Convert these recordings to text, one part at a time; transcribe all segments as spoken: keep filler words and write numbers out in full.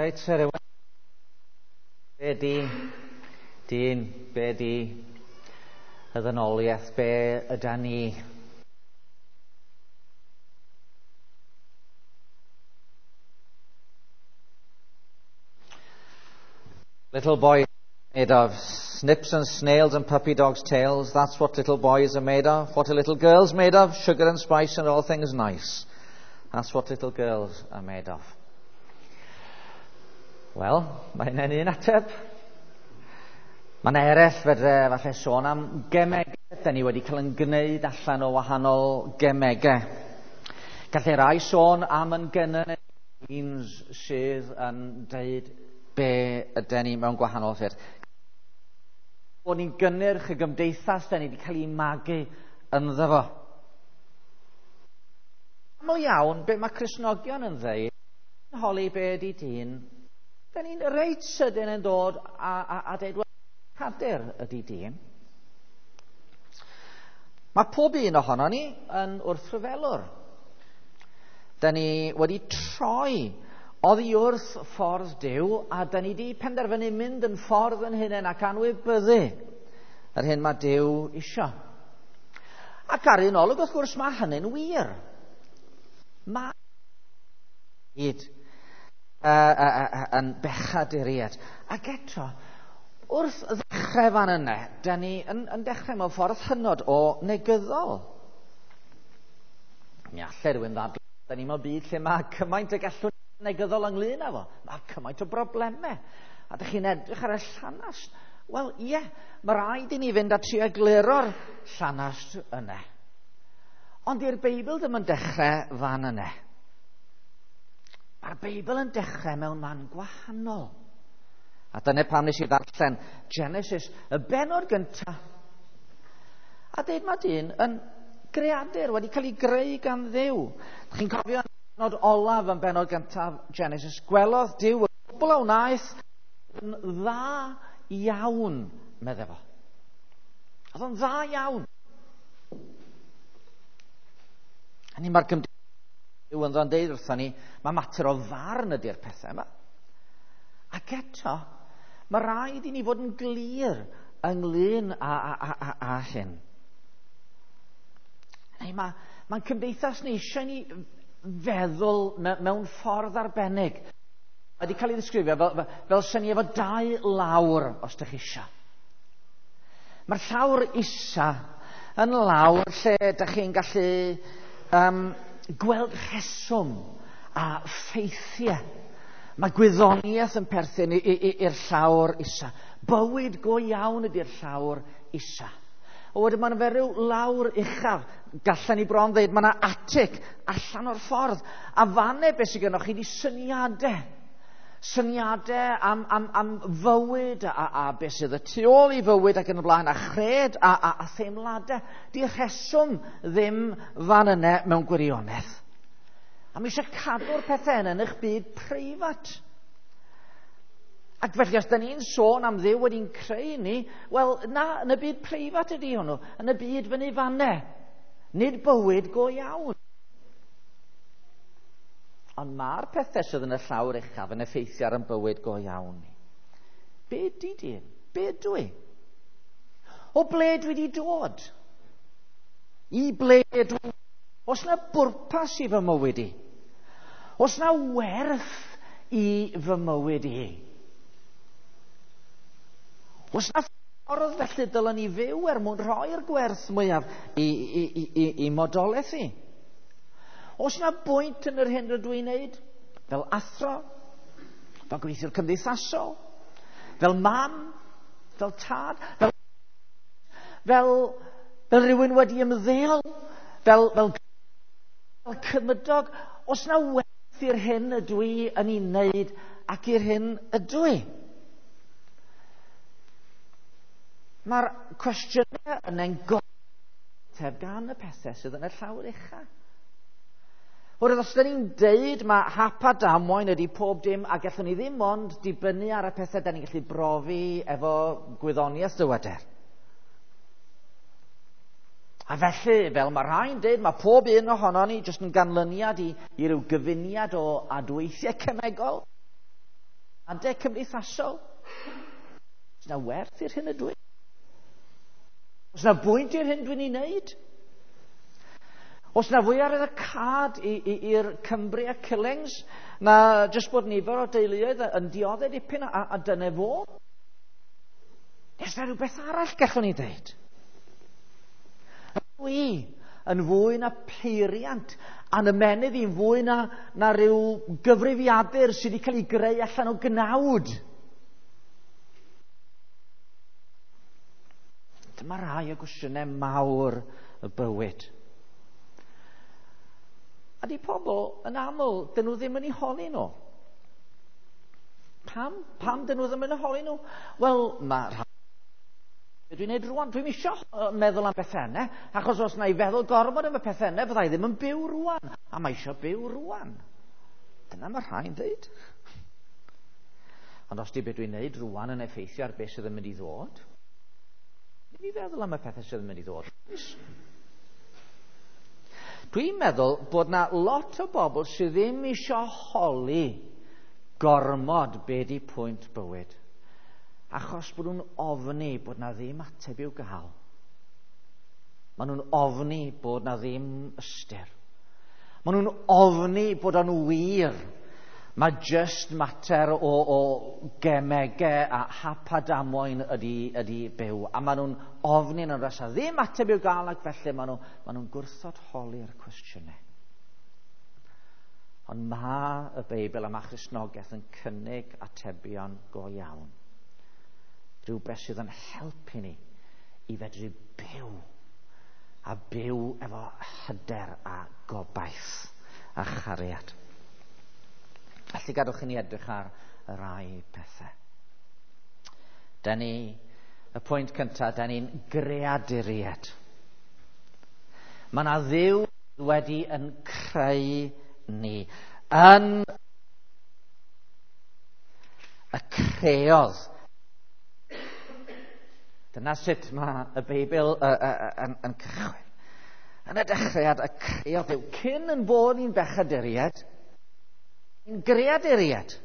Reit, Sir Iwan. Be di dyn, be di y ddynoliaeth, be yda ni? Little boys made of snips and snails and puppy dogs' tails. That's what little boys are made of. What are little girls made of? Sugar and spice and all things nice. That's what little girls are made of. Wel, mae hynny'n un ateb. Mae yna eraill fedre falle sôn am gemegau. Da ni wedi cael yn gwneud allan o wahanol gemegau. Gallai rai sôn am yn gynnyn genes sydd yn deud be ydy ni mewn gwahanol ffyrdd. Bod ni'n gynnyrch y gymdeithas da ni wedi cael ei magu ynddo fo. Aml iawn, be mae Cristnogion yn dweud, yn holi be ydy dyn, da ni'n reit sydyn yn dod a, a, a dweud, wel, cadur ydy dyn. Mae pob un ohono ni yn wrthryfelwr. Da ni wedi troi oddi wrth ffordd Duw, a da ni wedi penderfynu mynd yn ffordd yn hunain ac anwybyddu yr hyn mae Duw isio. Ac ar un olwg, wrth gwrs, mae hynny'n wir. Mae hyd uh, uh, uh, yn bechaduriaid. Ac eto, wrth ddechrau fan yna, da ni yn, yn dechrau mewn ffordd hynod o negyddol. Mi allai rhywun ddadlau, da ni mewn byd lle mae cymaint y gallwn negyddol ynglyn â fo. Mae cymaint o broblemau. A dych chi'n edrych ar y llanast. Wel, ie, mae rhaid i ni fynd a trio egluro'r llanast yna. Ond i'r Beibl ddim yn dechrau fan yna. Mae'r Beibl yn dechrau mewn man gwahanol. A dyna pam nes i ddarllen Genesis, y bennod gyntaf. A deud mae dyn yn greadur wedi cael ei greu gan Dduw. Dych chi'n cofio yn bennod olaf yn bennod gyntaf Genesis, gwelodd Duw y cwbl a wnaeth yn dda iawn, medde fo. Oedd o'n dda iawn. A ni mae'r gymdeithas Duw yn ddo'n deud wrthon ni, mae mater o farn ydy'r pethau yma. Ac eto, mae rhaid i ni fod yn glir ynglyn â, â, â, â, â hyn. Neu mae, mae'n cymdeithas ni eisiau ni feddwl mewn ffordd arbennig. Mae wedi cael ei ddisgrifio fel, fel, fel syni efo dau lawr, os ydych chi eisiau. Mae'r llawr isa yn lawr lle ydych chi'n gallu um, gweld rheswm a ffeithiau. Mae gwyddoniaeth yn perthyn i'r llawr isa. Bywyd go iawn ydy'r llawr isa. O wedyn mae'n fe ryw lawr uchaf. Gallen ni bron ddeud, mae yna atig allan o'r ffordd. A fanne beth sydd gennych chi di syniadau. Syniadau am, am, am fywyd a, a beth sydd y tu ôl i fywyd ac yn y blaen, a chred a, a, a theimladau. Di rheswm ddim fan yna mewn gwirionedd. A mae eisiau cadw'r pethau yna yn eich byd preifat. Ac felly, os da ni'n sôn am Dduw wedi'n creu ni, wel, na, yn y byd preifat ydy hwnnw, yn y byd fyny fanne. Nid bywyd go iawn. Ond mae'r pethau sydd yn y llawr uchaf yn effeithio ar yn bywyd go iawn ni. Be di dyn? Be dwi? O ble dwi wedi dod? I ble dwi? Oes na bwrpas i fy mywyd i? Oes na werth i fy mywyd i? Oes na ffordd felly dylen ni fyw er mwyn rhoi'r gwerth mwyaf i, i, i, i, i modolaeth i? Oes na bwynt yn yr hyn rydw i'n neud? Fel athro? Fel gweithiwr cymdeithasol? Fel mam? Fel tad? Fel, fel, fel rhywun wedi ymddeol? Fel, fel, fel cymydog? Oes na werth i'r hyn ydw i yn ei wneud ac i'r hyn ydw i? Mae'r cwestiynau yna'n goteb gan y pethau sydd yn y llawr ucha. Oherwydd os da ni'n deud mae hap a damwain ydy pob dim a gallwn ni ddim ond dibynnu ar y pethau da ni'n gallu brofi efo gwyddoniaeth dyweder. A felly, fel mae rhai'n deud, mae pob un ohono ni jyst yn ganlyniad i, i ryw gyfuniad o adweithiau cemegol. Adeg cymdeithasol? Oes na werth i'r hyn ydw i? Oes na bwynt i'r hyn dwi'n ei wneud? Oes na fwy ar y cad i'r Cumbria Killings na jyst bod nifer o deuluoedd yn dioddef dipyn a, a dyna fo? Oes na rhywbeth arall gallwn ni ddeud? Dwi yn fwy na peiriant, a'n ymennydd i'n fwy na, na rhyw gyfrifiadur sydd wedi cael ei greu allan o gnawd. Dyma rai o gwestiynau mawr y bywyd. A di pobl yn aml, dyn nhw ddim yn eu holi nhw. Pam? Pam dyn nhw ddim yn eu holi nhw? Wel, mae rhai... Dwi'n neud rwan, dwi'n isio meddwl am bethau yna, achos os na i feddwl gormod am y pethau yna, fyddai ddim yn byw rwan. A mae eisiau byw rwan. Dyna mae rhai'n dweud. Ond os di beth dwi'n neud rwan yn effeithio ar beth sydd yn mynd i ddod, ddim i feddwl am y pethau sydd yn mynd i ddod. Dwi'n meddwl bod na lot o bobl sydd ddim eisiau holi gormod be di pwynt bywyd. Achos bod nhw'n ofni bod na ddim ateb i'w gael. Maen nhw'n ofni bod na ddim ystyr. Maen nhw'n ofni bod o'n wir. Mae just mater o, o gemegau a hap a damwain ydy, ydy byw. A maen nhw'n ofni yn oes a ddim ateb i'w gael ac felly maen nhw, maen nhw'n gwrthod holi'r cwestiynau. Ond mae y Beibl a mae Cristnogaeth yn cynnig atebion go iawn. Rhywbeth sydd yn helpu ni i fedru byw. A byw efo hyder a gobaith a chariad. Felly gadwch i ni edrych ar y rai pethau. Da ni, y pwynt cyntaf, da ni'n greaduriaid. Mae yna Dduw wedi yn creu ni. Yn y creodd. Dyna sut mae y Beibl uh, uh, yn, yn cychwyn. Yn y dechreuad, y creodd Dduw. Cyn yn bod ni'n bechaduriaid, ni'n greaduriaid.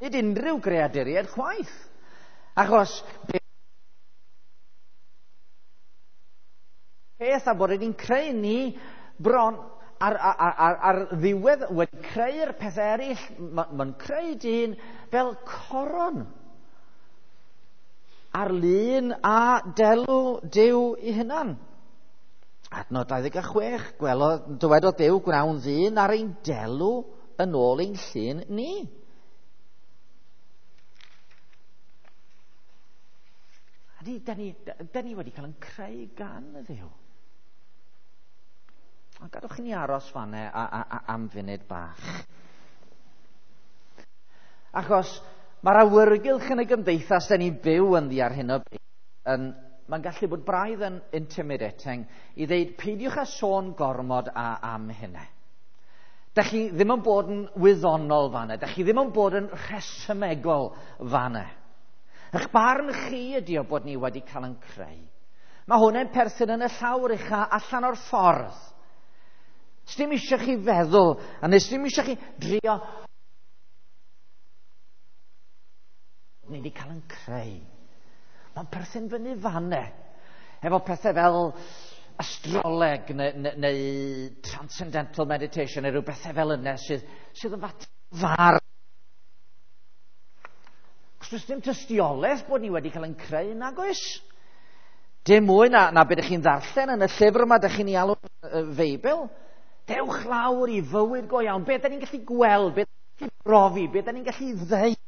Nid unrhyw greaduriaid chwaith. Achos peth a bod ni'n creu ni bron ar, ar, ar, ar ddiwedd wedi creu'r peth eraill, mae'n ma creu dyn fel coron ar lun a delw Duw i hunan. Adnod dau ddeg a chwech, gwelodd, dywedodd Duw gwnawn ddyn ar ein delw yn ôl ein llun ni. A di, da ni, da ni wedi cael yn creu gan y Dduw. A gadwch i ni aros fanne a, a, a, am funud bach. Achos mae'r awyrgylch yn y gymdeithas da ni'n byw ynddi ar hyn o bryd yn, mae'n gallu bod braidd yn intimidating i ddeud peidiwch â sôn gormod a, am hynna. Da chi ddim yn bod yn wyddonol fanna, da chi ddim yn bod yn rhesymegol fanna. Eich barn chi ydi o bod ni wedi cael yn creu. Mae hwnna'n perthyn yn y llawr ucha allan o'r ffordd. Sdim eisiau chi feddwl, a nes dim eisiau chi drio. Ni wedi cael yn creu. Mae'n perthyn fyny fanne. Efo pethau fel astroleg neu, neu, neu transcendental meditation neu rhyw bethau fel yna sydd, sydd yn fat far. Cos does dim tystiolaeth bod ni wedi cael yn creu nag oes. Dim mwy na, na beth ydych chi'n ddarllen yn y llyfr yma ydych chi'n ei alw y Feibl. Dewch lawr i fywyd go iawn. Be da ni'n gallu gweld, be da ni'n gallu brofi, be da ni'n gallu ddeud.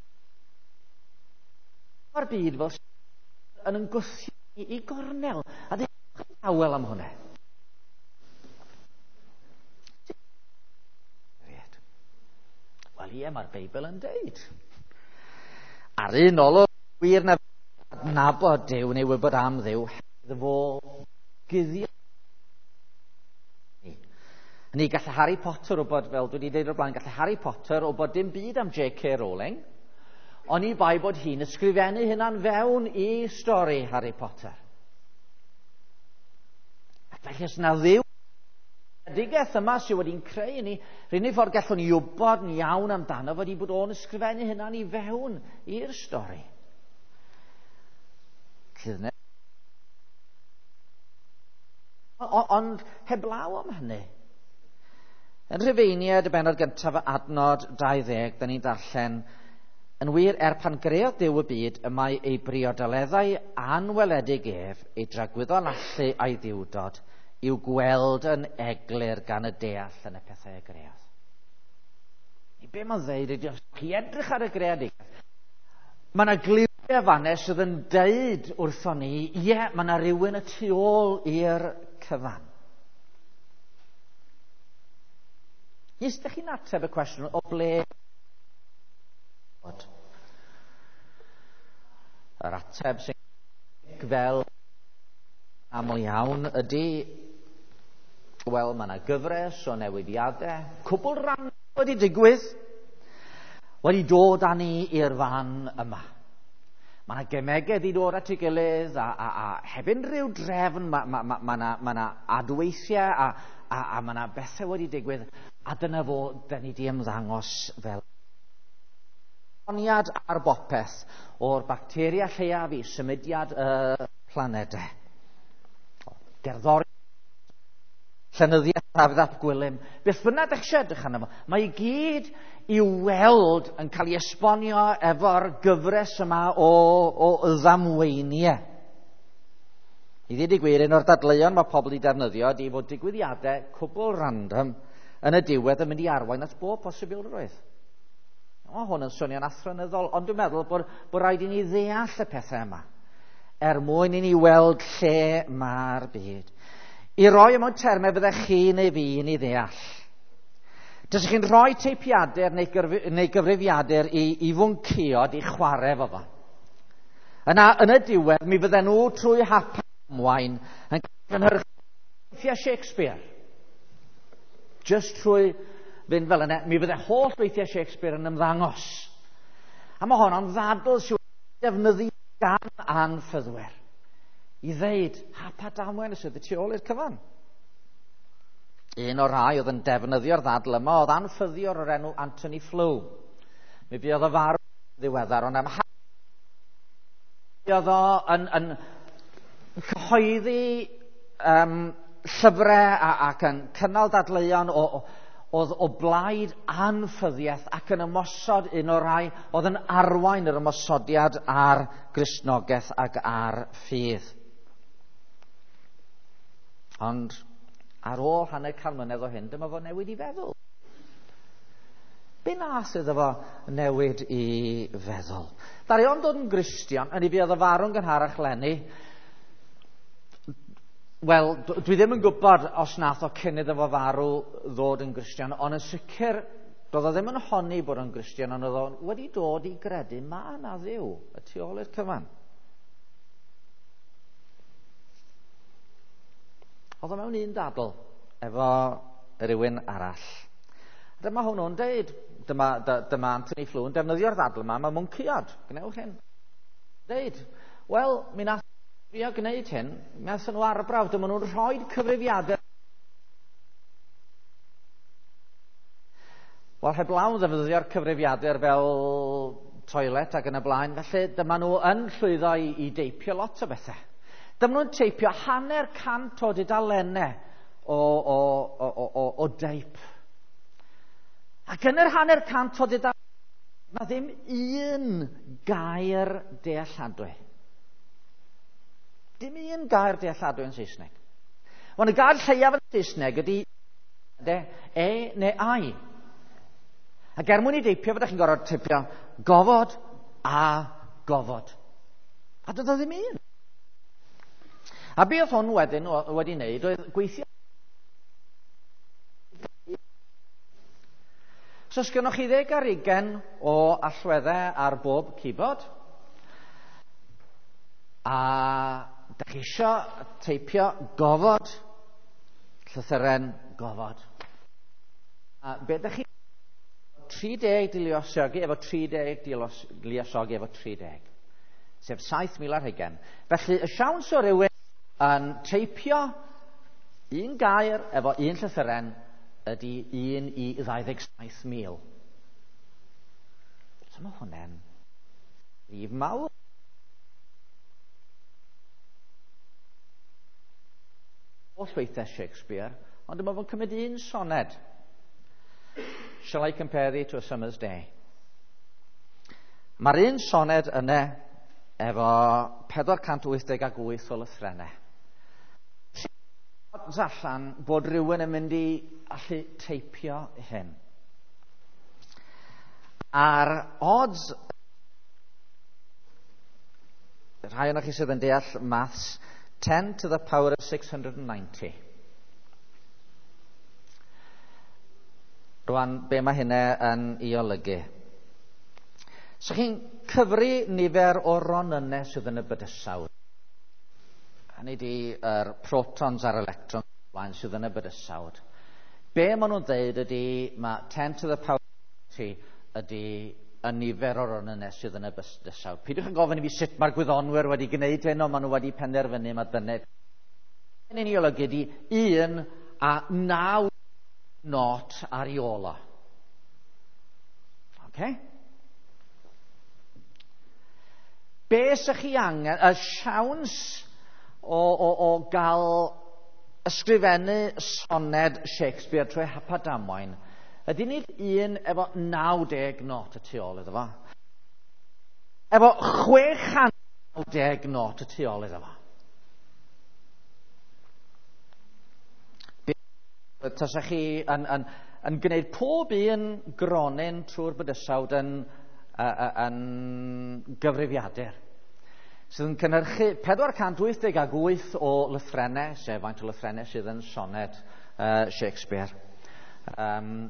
Mae'r byd fel yn ymgwthio i gornel. A dewch yn awel am hwnna. Wel ie, mae'r Beibl yn deud. Ar un olwg wir na adnabod Duw neu wybod am Dduw, iddo fo guddio. Ni gallai Harry Potter wybod, fel dwi wedi dweud o'r blaen, gallai Harry Potter wybod dim byd am J K Rowling, ond i bai bod hi'n ysgrifennu hynna'n fewn i stori Harry Potter. Ac felly os na Dduw Greadigaeth yma sydd wedi'n creu ni, yr unig ffordd gallwn ni wybod yn iawn amdano fod i bod o'n ysgrifennu hynna'n i fewn i'r stori. Ond heblaw am hynny, yn Rhufeiniaid y bennod gyntaf adnod dau ddeg, da ni'n darllen, yn wir, er pan greodd Duw y byd, y mae ei briodoleddau anweledig ef, ei dragwyddol allu a'i ddiwdod, i'w gweld yn eglur gan y deall yn y pethau y greodd. I be mae'n ddeud ydy, os chi edrych ar y greadigaeth, mae yna gliwiau fan'na sydd yn deud wrthon ni, ie, mae yna rhywun y tu ôl i'r cyfan. Nes ydych chi'n ateb y cwestiwn o ble yr ateb sy'n fel aml iawn ydy, wel, mae yna gyfres o newidiadau cwbl ran wedi digwydd, wedi dod â ni i'r fan yma. Mae yna gemegau wedi dod at ei gilydd a, a, a heb unrhyw drefn, mae ma, ma, ma yna, ma yna adweithiau a, a, a mae yna bethau wedi digwydd, a dyna fo, da ni di ymddangos fel esboniad ar bopeth o'r bacteria lleiaf i symudiad y planedau. Gerddoriaeth, llenyddiaeth Dafydd ap Gwilym, beth bynnag ydych chi edrych arno fo, mae i gyd i'w weld yn cael ei esbonio efo'r gyfres yma o, o ddamweiniau. I ddweud y gwir, un o'r dadleuon mae pobl wedi defnyddio ydy fod digwyddiadau cwbl random yn y diwedd yn mynd i arwain at bob posibilrwydd. O, hwn yn swnio'n athronyddol, ond dwi'n meddwl bod, bod rhaid i ni ddeall y pethau yma er mwyn i ni weld lle mae'r byd. I roi mewn termau fyddech chi neu fi yn ei ddeall. Dysych chi'n rhoi teipiadur neu, gyrfi, neu gyfrifiadur i, i fwnciod i chwarae efo fo. Yna, yn y diwedd, mi fydden nhw trwy hap ymwain yn cynhyrchu weithiau Shakespeare. Just trwy fynd fel yna, mi fydde holl weithiau Shakespeare yn ymddangos. A mae honno'n ddadl sydd wedi defnyddio gan anffyddwyr i ddeud hap a damwain sydd y tu ôl i'r cyfan. Un o'r rhai oedd yn defnyddio'r ddadl yma oedd anffyddiwr o'r enw Anthony Flew. Mi fuodd o farw ddiweddar, ond am oedd o yn, yn cyhoeddi um, llyfrau a, ac yn cynnal dadleuon o, o, oedd o blaid anffyddiaeth ac yn ymosod un o'r rhai oedd yn arwain yr ymosodiad ar Gristnogaeth ac ar ffydd. Ond ar ôl hanner can mlynedd o hyn, dyma fo newid i feddwl. Be nath iddo fo newid i feddwl? Ddaru o'n dod yn Gristion, yn ei fuodd o farw'n gynharach leni. Wel, dwi ddim yn gwybod os nath o cyn iddo fo farw ddod yn Gristion, ond yn sicr, doedd o ddim yn honni bod o'n Gristion, ond oedd o wedi dod i gredu ma' na Dduw y tu ôl i'r cyfan. Oedd o mewn un dadl efo rhywun arall. A dyma hwnnw'n deud, dyma, dyma Anthony Flew yn defnyddio'r ddadl yma, mae mwnciod, gwnewch hyn. Deud, wel, mi nath drio gwneud hyn, mi nath nhw arbrawf, dyma nhw'n rhoi cyfrifiadur. Wel, heblaw ddefnyddio'r cyfrifiadur fel toilet ac yn y blaen, felly dyma nhw yn llwyddo i, i deipio lot o bethau. Dyma nhw'n teipio hanner cant o dudalennau o, o, o, o, o deip. Ac yn yr hanner cant o dudalennau, mae ddim un gair dealladwy. Dim un gair dealladwy yn Saesneg. Wel, y gair lleiaf yn Saesneg ydy e neu ai. Ac er mwyn i deipio, fyddech chi'n gorfod teipio gofod a gofod. A doedd o ddim un. A be oedd hwn wedyn wedi wneud oedd gweithio. So, os gynnoch chi ddeg ar ugain o allweddau ar bob keyboard, a dach chi isio teipio gofod, llythyren gofod. A be dach chi tri deg di luosogi efo tri deg di luosogi efo tri deg, sef saith mil ar hugain. Felly, y siawns o rywun yn teipio Un gair efo un llythyren ydy un i ddau ddeg saith mil. So mae hwnna'n rhif mawr. Holl weithiau Shakespeare, ond dyma fo'n cymryd un soned. Shall I compare thee to a summer's day? Mae'r un soned yna efo pedwar cant wyth deg ag wyth o lythrennau. Allan bod rhywun yn mynd i allu teipio hyn. A'r odds, rhai ohonoch chi sydd yn deall maths, ten to the power of six hundred and ninety. Rwan, be mae hynna yn ei olygu? So chi'n cyfri nifer o ronynnau sydd yn y bydysawd. Hynny ydi yr protons a'r electrons blaen sydd yn y bydysawd. Be maen nhw'n dweud ydy mae ten to the power of ydy y nifer o ronynnau sydd yn y bydysawd. Peidiwch yn gofyn i fi sut mae'r gwyddonwyr wedi gwneud hyn, ond maen nhw wedi penderfynu mae dyna. Hyn yn ei olygu ydy un a naw not ar ei ôl o. Okay? Be sych chi angen, y siawns o, o, o gael ysgrifennu soned Shakespeare trwy hap a damwain, ydy nid un efo naw deg not y tu ôl iddo fo. Efo chwe chant naw deg not y tu ôl iddo fo. Tasach chi yn, yn, yn gwneud pob un gronyn trwy'r bydysawd yn, yn gyfrifiadur sydd yn cynhyrchu pedwar cant wyth deg ag wyth o lythrennau, sef faint o lythrennau sydd yn soned uh, Shakespeare. Um,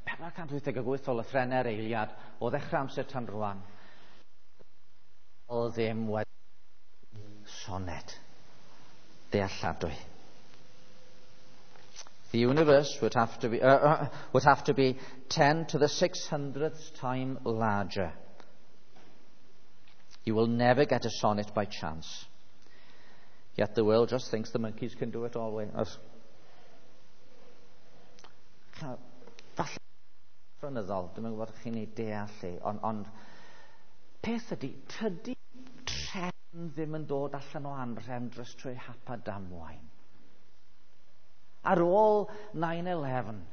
pedwar cant wyth deg ag wyth o lythrennau'r eiliad o ddechrau amser tan rwan. O ddim wedi soned dealladwy. The universe would have to be, uh, uh, would have to be ten to the six hundredth time larger. You will never get a sonnet by chance. Yet the world just thinks the monkeys can do it all way. Falle athronyddol, dwi'm yn gwybod chi'n ei deall i, ond, ond peth ydy, tydi trefn ddim yn dod allan o anrhefn dros trwy hap a damwain. Ar ôl nine eleven,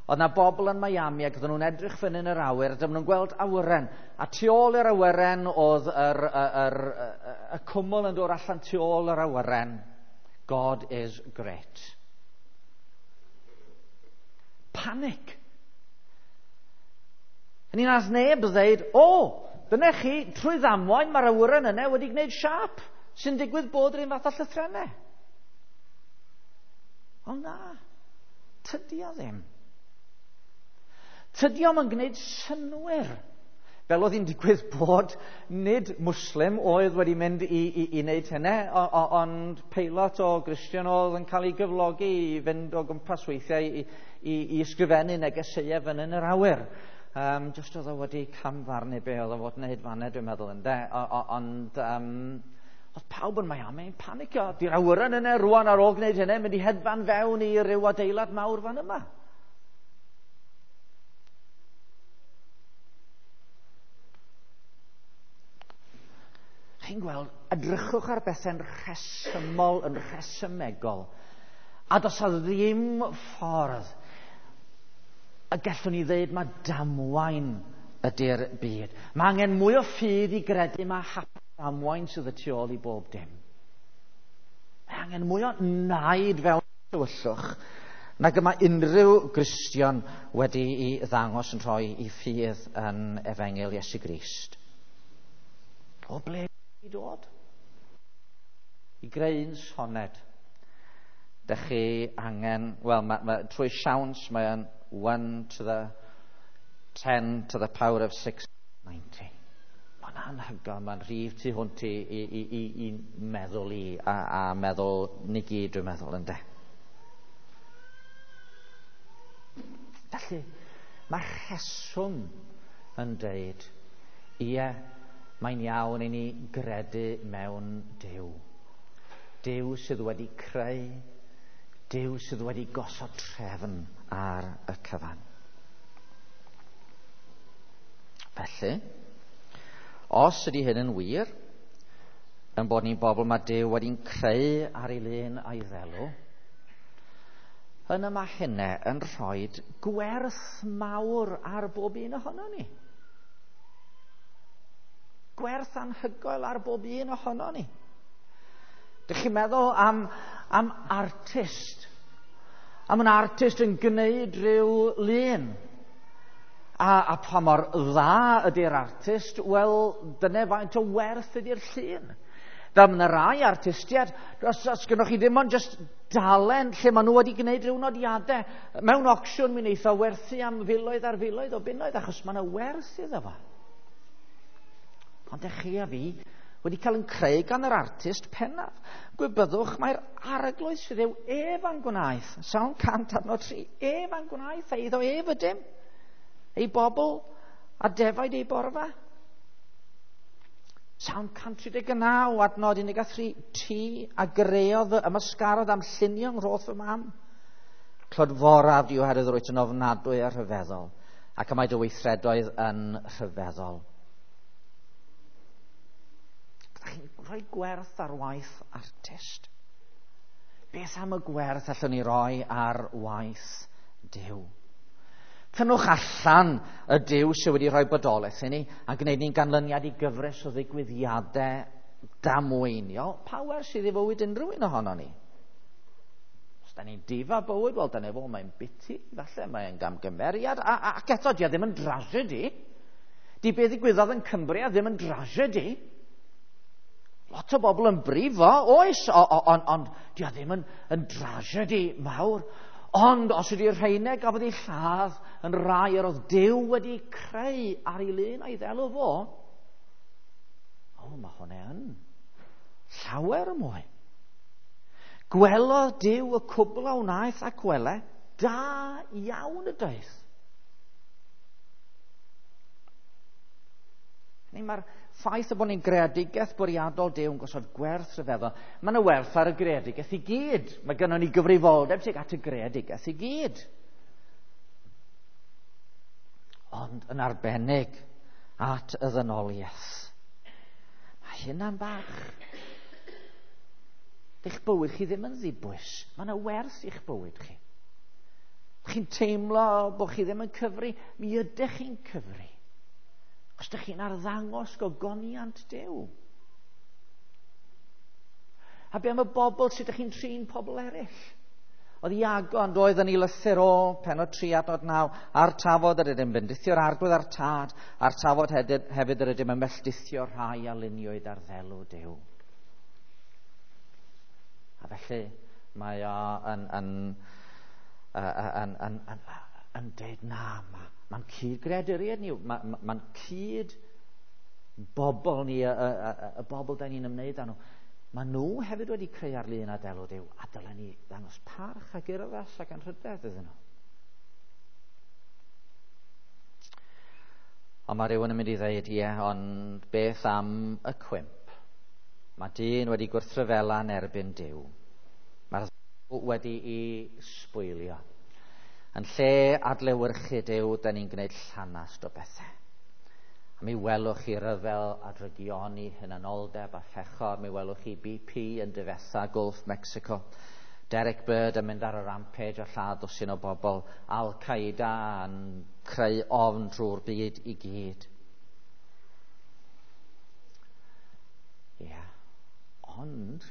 oedd na bobl yn Miami ac oedden nhw'n edrych fyny yn yr awyr, a dyma nhw'n gweld awyren. A tu ôl i'r awyren oedd yr, yr, yr, y, y cwmwl yn dod allan tu ôl yr awyren. God is great. Panic. Yn un as neb ddeud, o, dyna chi, trwy ddamwain mae'r awyren yna wedi gwneud siâp sy'n digwydd bod yr un fath â llythrennau. Ond na, tydi o ddim. Tydi o'm yn gwneud synnwyr. Fel oedd hi'n digwydd bod nid Muslim oedd wedi mynd i, i, i wneud hynny, ond peilot o Gristion oedd yn cael ei gyflogi i fynd o gwmpas weithiau i, i, i ysgrifennu negeseuau fyny yn yr awyr. Um, just oedd o wedi camfarnu be oedd o fod yn wneud fanna, dwi'n meddwl, ynde. Ond um, oedd pawb yn Miami yn panicio. Di'r awyren yna rwan ar ôl gwneud hynny, mynd i hedfan fewn i ryw adeilad mawr fan yma. Chi'n gweld, edrychwch ar bethau'n rhesymol, yn rhesymegol, a does a ddim ffordd y gallwn ni ddeud mae damwain ydy'r byd. Mae angen mwy o ffydd i gredu mae hap damwain sydd y tu ôl i bob dim. Mae angen mwy o naid fewn tywyllwch nag y mae unrhyw Gristion wedi'i ddangos yn rhoi i ffydd yn Efengyl Iesu Grist. O ble i dod? I greu un soned. Dych chi angen, wel, ma, ma, trwy siawns mae yn one to the ten to the power of six ninety. Mae'n anhygoel, mae'n rhif tu hwnt i, i, i, i, i meddwl i a, a meddwl ni gyd, dwi'n meddwl, ynde. Felly, mae rheswm yn deud, ie, mae'n iawn i ni gredu mewn Duw. Duw sydd wedi creu, Duw sydd wedi gosod trefn ar y cyfan. Felly, os ydy hyn yn wir, yn bod ni'n bobl mae Duw wedi'n creu ar ei lun a'i ddelw, yna mae hynna yn rhoi gwerth mawr ar bob un ohono ni. Gwerth anhygoel ar bob un ohono ni. Dych chi'n meddwl am, am artist? Am yn artist yn gwneud rhyw lun. A, a pa mor dda ydy'r artist, wel, dyna faint o werth ydy'r llun. Fel mae yna rai artistiaid, os, os gynnwch chi ddim ond just dalen lle maen nhw wedi gwneud rhyw nodiadau, mewn ocsiwn mi wneith o werthu am filoedd ar filoedd o bunnoedd, achos mae yna werth iddo fo. Ond ych chi a fi wedi cael yn creu gan yr artist pennaf. Gwybyddwch mae'r arglwydd sydd yw ef a'n gwnaeth. Sawn cant adnod tri, ef a'n gwnaeth, a iddo ef ydym. Ei bobl a defaid ei borfa. Sawn cant tri deg naw adnod un deg tri, ti a greodd fy ymysgarodd am llunio yng ngwrth fy mam. Clodforaf di oherwydd rwyt yn ofnadwy a rhyfeddol, ac y mae dy weithredoedd yn rhyfeddol. Ydych chi'n rhoi gwerth ar waith artist? Beth am y gwerth allwn ni roi ar waith Duw? Tynnwch allan y Duw sydd wedi rhoi bodolaeth i ni a gwneud ni'n ganlyniad i gyfres o ddigwyddiadau damweiniol. Pa werth sydd i fywyd unrhyw un ohono ni? Os da ni'n difa bywyd, wel, dyna fo, mae'n biti, falle, mae'n gamgymeriad, a, a, ac eto, di o ddim yn drasiedi. Di beth ddigwyddodd yn Cumbria ddim yn drasiedi. Lot o bobl yn brifo, oes, ond on, di o ddim yn, yn drasiedi mawr. Ond os ydy'r rheinau gafodd ei lladd yn rai yr oedd Duw wedi creu ar ei lun a'i ddelw fo, o, mae hwnna yn llawer mwy. Gwelodd Duw y cwbl a wnaeth ac wele, da iawn y daeth. Neu mae'r ffaith y bod ni'n greadigaeth bwriadol Duw yn gosod gwerth rhyfeddol. Mae yna werth ar y greadigaeth i gyd. Mae gynnon ni gyfrifoldeb tuag at y greadigaeth i gyd. Ond yn arbennig at y ddynoliaeth. Mae hynna'n bach. Eich bywyd chi ddim yn ddibwys. Mae yna werth i'ch bywyd chi. Chi'n teimlo bod chi ddim yn cyfri. Mi ydych chi'n cyfri. Os ydych chi'n arddangos gogoniant Duw. A be am y bobl sut ydych chi'n trin pobl eraill? Oedd Iago yn doedd yn ei lythyr o, pennod tri adnod naw, a'r tafod yr ydym bendithio'r arglwydd a'r tad, a'r tafod hefyd yr ydym yn melldithio'r rhai a luniwyd ar ddelw Duw. A felly mae o yn, yn, yn, yn, yn, yn deud na, ma, mae'n cyd-greaduriaid ni, mae'n ma, ma cyd bobl ni, y, y, y, y bobl da ni'n ymwneud â nhw. Mae nhw hefyd wedi creu ar lun a delw Duw, a dylen ni ddangos parch ac urddas ac anrhydedd iddyn nhw. Ond mae rhywun yn mynd i ddweud, ie, ond beth am y cwymp? Mae dyn wedi gwrthryfela yn erbyn Duw. Mae'r dduw wedi'i sbwylio. Yn lle adlewyrchu Duw, da ni'n gwneud llanast o bethau. A mi welwch chi ryfel a drygioni, hunanoldeb a phechor. Mi welwch chi B P yn difetha Gulf Mexico. Derek Bird yn mynd ar y rampage a lladd dwsin o bobl. Al-Qaeda yn creu ofn drwy'r byd i gyd. Ie, yeah. Ond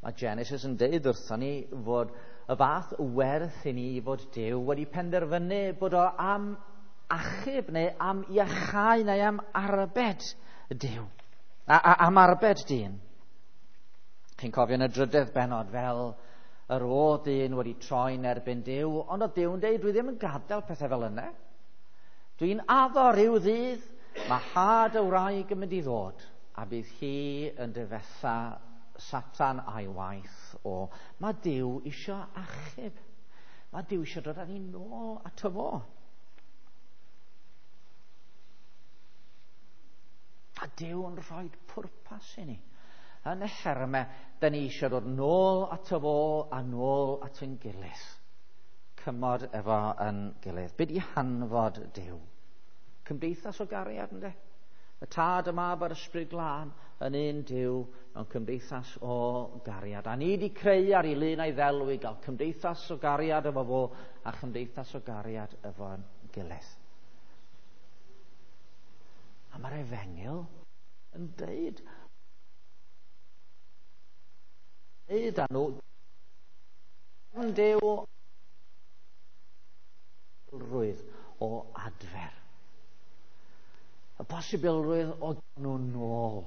mae Genesis yn deud wrthon ni fod y fath werth i ni fod Duw wedi penderfynu bod o am achub neu am iachau neu am arbed Duw. A, a, am arbed dyn. Chi'n cofio yn y drydedd bennod fel yr oedd dyn wedi troi'n erbyn Duw, ond oedd Duw yn deud, dwi ddim yn gadael pethau fel yna. Dwi'n addo rhyw ddydd, mae had y wraig yn mynd i ddod, a bydd hi yn difetha Satan a'i waith o. Mae Duw isio achub. Mae Duw isio dod â ni nôl ato fo. A Duw yn rhoi pwrpas i ni. Yn y hermau, da ni eisiau dod nôl ato fo a nôl at ein gilydd. Cymod efo yn gilydd. Be di hanfod Duw? Cymdeithas o gariad, ynddo? Y Tad, y Mab a'r Ysbryd Glân yn un Duw mewn cymdeithas o gariad. A ni wedi creu ar ei lun a'i ddelw i gael cymdeithas o gariad efo fo a chymdeithas o gariad efo'n gilydd. A mae'r efengyl yn deud, deud â nhw, yn Duw rwydd o adfer. Y posibilrwydd o nhw nôl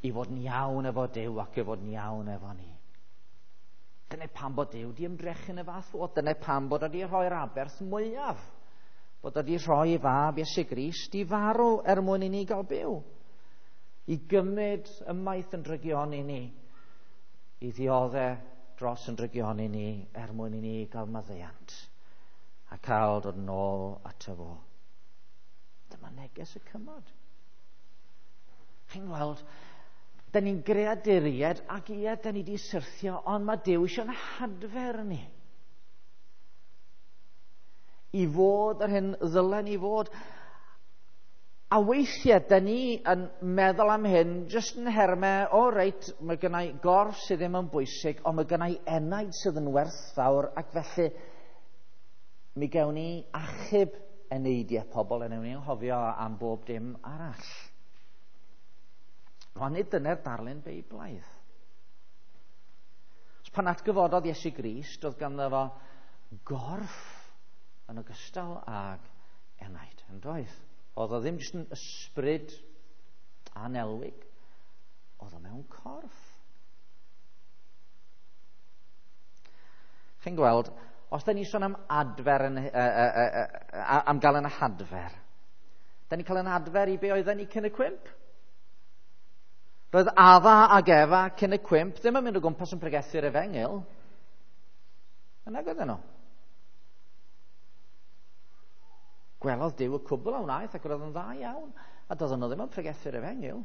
i fod yn iawn efo Duw ac i fod yn iawn efo ni. Dyna pam bod Duw di ymdrechu yn y fath fod. Dyna pam bod wedi rhoi'r aberth mwyaf. Bod wedi rhoi fab Iesu Grist i farw er mwyn i ni gael byw. I gymryd ymaith yn drygioni ni. I ddioddef dros yn drygioni ni er mwyn i ni gael maddeuant. A cael dod nôl ato fo. Dyma neges y cymod. Chi'n gweld, da ni'n greaduriaid ac ie, da ni wedi syrthio, ond mae Duw eisiau'n hadfer ni. I fod yr hyn ddylen ni fod. A weithiau, da ni yn meddwl am hyn, jyst yn hermau, o reit, mae gennau gorff sydd ddim yn bwysig, ond mae gennau enaid sydd yn werthfawr, ac felly mi gewn ni achub eneidiau pobl, a newn ni anghofio am bob dim arall. Ond nid dyna'r darlun Beiblaidd. Pan atgyfododd Iesu Grist, oedd ganddo fo gorff yn ogystal ag enaid, yn doedd? Oedd o ddim jyst yn ysbryd anelwig, oedd o mewn corff. Chi'n gweld, os da ni sôn am adfer, yn, uh, uh, uh, uh, am gael yn hadfer, da ni'n cael yn adfer i be oedden ni cyn y cwymp? Roedd Adda ag Efa cyn y cwymp ddim yn mynd o gwmpas yn pregethu'r efengyl. Yna oedden nhw. Gwelodd Duw y cwbl a wnaeth ac roedd yn dda iawn. A doedden nhw ddim yn pregethu'r efengyl.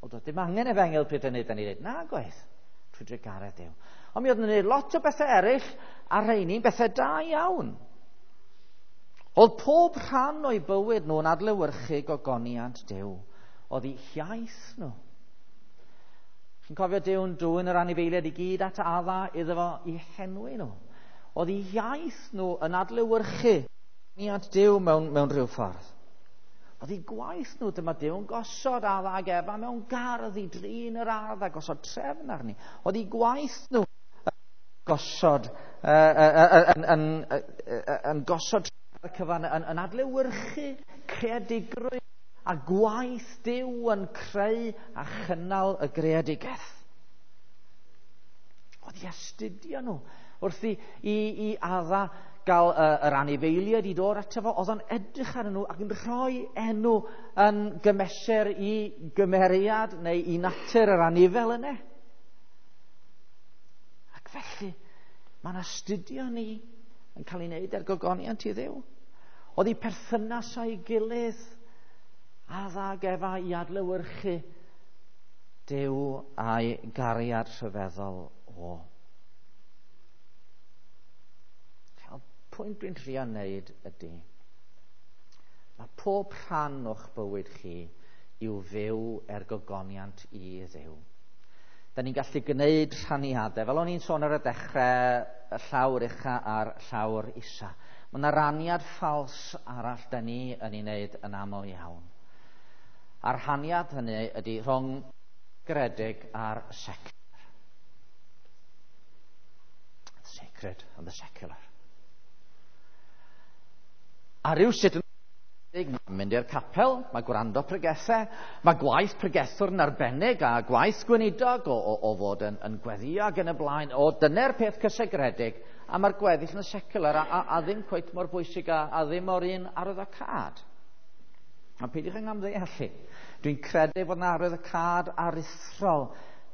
Ond doedd dim angen efengyl pryd hynny, da ni dweud, na gwaith, trwy drugaredd Duw. Ond mi oedd yn gwneud lot o bethau eraill a rheini'n bethau da iawn. Oedd pob rhan o'i bywyd nhw'n adlewyrchu gogoniant Duw. Oedd eu hiaith nhw. Chi'n cofio Duw'n dwyn yr anifeiliaid i gyd at Adda iddo fo i henwi nhw. Oedd eu hiaith nhw yn adlewyrchu gogoniant Duw mewn, mewn rhyw ffordd. Oedd eu gwaith nhw, dyma Duw'n gosod Adda ag Efa mewn gardd i drin yr ardd a gosod trefn arni. Oedd eu gwaith nhw gosod, uh, uh, uh, yn, yn, uh, yn gosod y cyfan, yn, yn adlewyrchu creadigrwydd a gwaith Duw yn creu a chynnal y greadigaeth. Oedd i astudio nhw. Wrth i, i, i Adda gael uh, yr anifeiliaid i dod ato fo, oedd o'n edrych arnyn nhw ac yn rhoi enw yn gymesur i gymeriad neu i natur yr anifel yna. Ac felly, mae'n astudio ni yn cael ei wneud er gogoniant i Dduw. Oedd eu perthynas â'i gilydd, Adda ag Efa i adlewyrchu Duw a'i gariad rhyfeddol o. Y pwynt dwi'n trio wneud ydy, mae pob rhan o'ch bywyd chi i'w fyw er gogoniant i Dduw. Da ni'n gallu gwneud rhaniadau, fel o'n i'n sôn ar y dechrau, y llawr ucha a'r llawr isa. Mae yna raniad ffals arall da ni yn ei wneud yn aml iawn. A'r rhaniad hynny ydy rhwng gredig a'r secular. The sacred and the secular. A rhywsut yn mynd i'r capel, mae gwrando pregethau, mae gwaith pregethwr yn arbennig a gwaith gweinidog o, o, o fod yn, yn gweddio ac yn y blaen, o dyna'r peth cysegredig, a mae'r gweddill yn secular a, a, a ddim cweit mor bwysig a, a ddim o'r un arwyddocâd. A peidiwch yn amddeallu. Dwi'n credu fod yna arwyddocâd aruthrol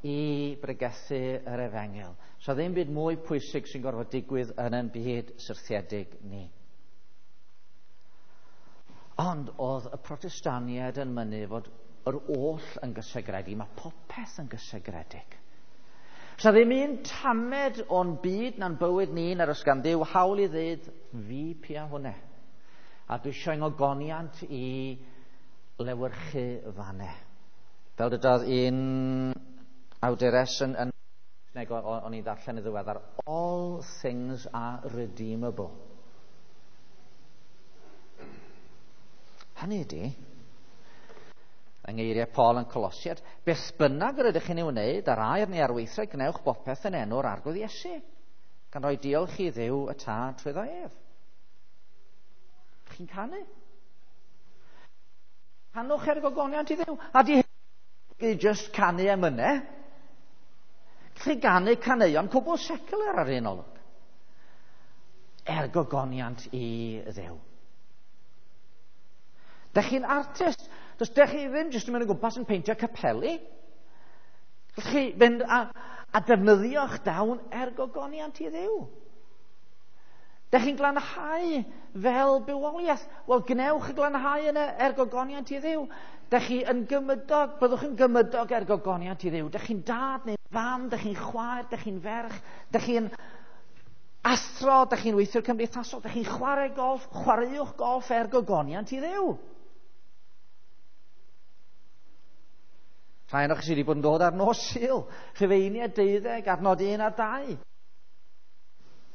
i bregethu yr efengyl. So ddim byd mwy pwysig sy'n gorfod digwydd yn ein byd syrthiedig ni. Ond oedd y Protestaniaid yn mynnu fod yr oll yn gysegredig. Mae popeth yn gysegredig. Sa ddim un tamed o'n byd na'n bywyd ni na'r oes gan Dduw hawl i ddweud fi pia hwnna. A dwi eisiau ngogoniant i lewyrchu fanne. Fel dydodd un awdures yn, yn o'n i'n ddarllen y ddiweddar, all things are redeemable. Hynny ydy, yng ngeiriau Paul yn Colosiad, beth bynnag yr ydych chi'n ei wneud ar air neu ar weithred, gwnewch bopeth yn enw'r Arglwydd Iesu, gan roi diolch i Dduw y Tad trwyddo ef. Chi'n canu? Canwch er gogoniant i Dduw. A di hyn just canu emynau. Chi ganu caneuon cwbl secular ar un olwg. Er gogoniant i Dduw. Dech chi'n artist. Does dech chi ddim jyst yn mynd o gwmpas yn peintio capeli. Gallwch chi fynd a, a defnyddio'ch dawn er gogoniant i Dduw. Dech chi'n glanhau fel bywoliaeth. Wel, gwnewch y glanhau yna er gogoniant i Dduw. Dech chi yn gymydog, byddwch yn gymydog er gogoniant i Dduw. Dech chi'n dad neu fam, dech chi'n chwaer, dech chi'n ferch, dech chi'n athro, dech chi'n weithiwr cymdeithasol, dech chi'n chwarae golff, chwaraewch golff er gogoniant i Dduw. Rhai ohonoch chi sydd wedi bod yn dod ar nos Sul, Rhufeiniaid deuddeg, adnod un a dau.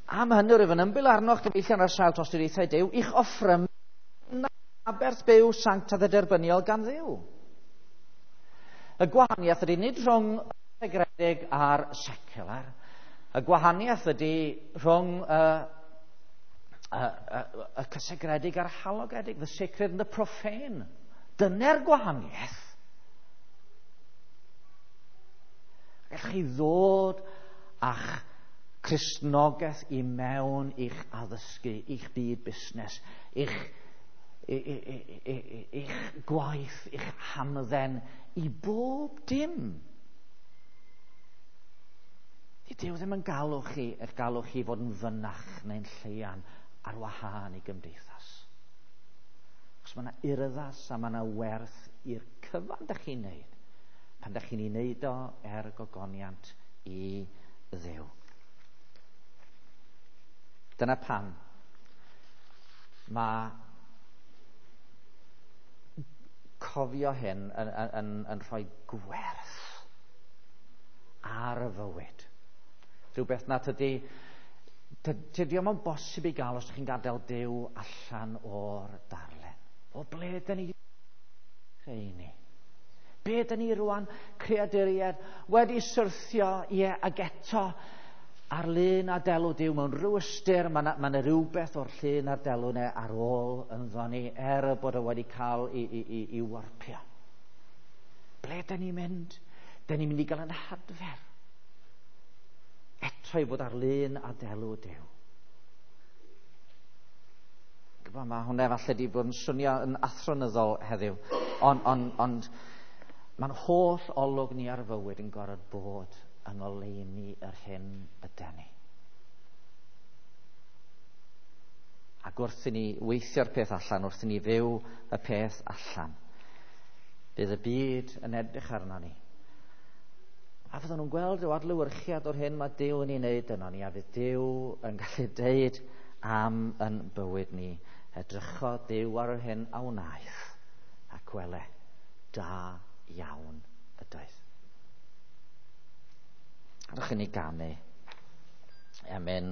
Am hynny rwyf yn ymbil arnoch gyfeillion ar sail tosturiaethau Duw, i'ch offrymu aberth byw sanctaidd a derbyniol gan Dduw. Y gwahaniaeth ydy nid rhwng y segredig a'r secular. Y gwahaniaeth ydy rhwng y, y, y, y cysegredig a'r halogedig, the sacred and the profane. Dyna'r gwahaniaeth. Gallwch chi ddod a'ch Cristnogaeth i mewn i'ch addysgu, i'ch byd busnes, i'ch, i'ch gwaith, i'ch hamdden, i bob dim. Di Duw ddim yn galw chi, eich galw chi fod yn fynach neu'n lleian ar wahân i gymdeithas. Achos mae yna urddas a mae yna werth i'r cyfan dych chi'n neud, pan dych chi'n ei wneud o er gogoniant i Dduw. Dyna pam mae cofio hyn yn, yn, yn rhoi gwerth ar y fywyd. Rhywbeth na tydi, tydi o'm yn bosib i gael os ydych chi'n gadael Duw allan o'r darllen. O ble dyn ni creu ni? Be dyn ni rwan, creaduriaid, wedi syrthio, ie, ag eto ar lun a delw Duw mewn rhyw ystyr, mae yna ma rhywbeth o'r llun a'r delw yna ar ôl ynddo ni, er bod o wedi cael i, i, i, i warpio. Ble dyn ni'n mynd? Dyn ni'n mynd i gael yn hadfer. Eto i fod ar lun a delw Duw. Gwybod, mae hwnna falle wedi bod yn swnio yn athronyddol heddiw, ond on, ond mae'n holl olwg ni ar fywyd yn gorfod bod yng ngoleuni yr hyn yden ni. Ac wrth i ni weithio'r peth allan, wrth i ni fyw y peth allan, bydd y byd yn edrych arno ni. A fydden nhw'n gweld rhyw adlewyrchiad o'r hyn mae Duw yn ei wneud yno ni, a fydd Duw yn gallu deud am yn bywyd ni, edrychodd Duw ar yr hyn a wnaeth, ac wele, da iawn ydoedd. Rydych chi'n ei ganu. Emyn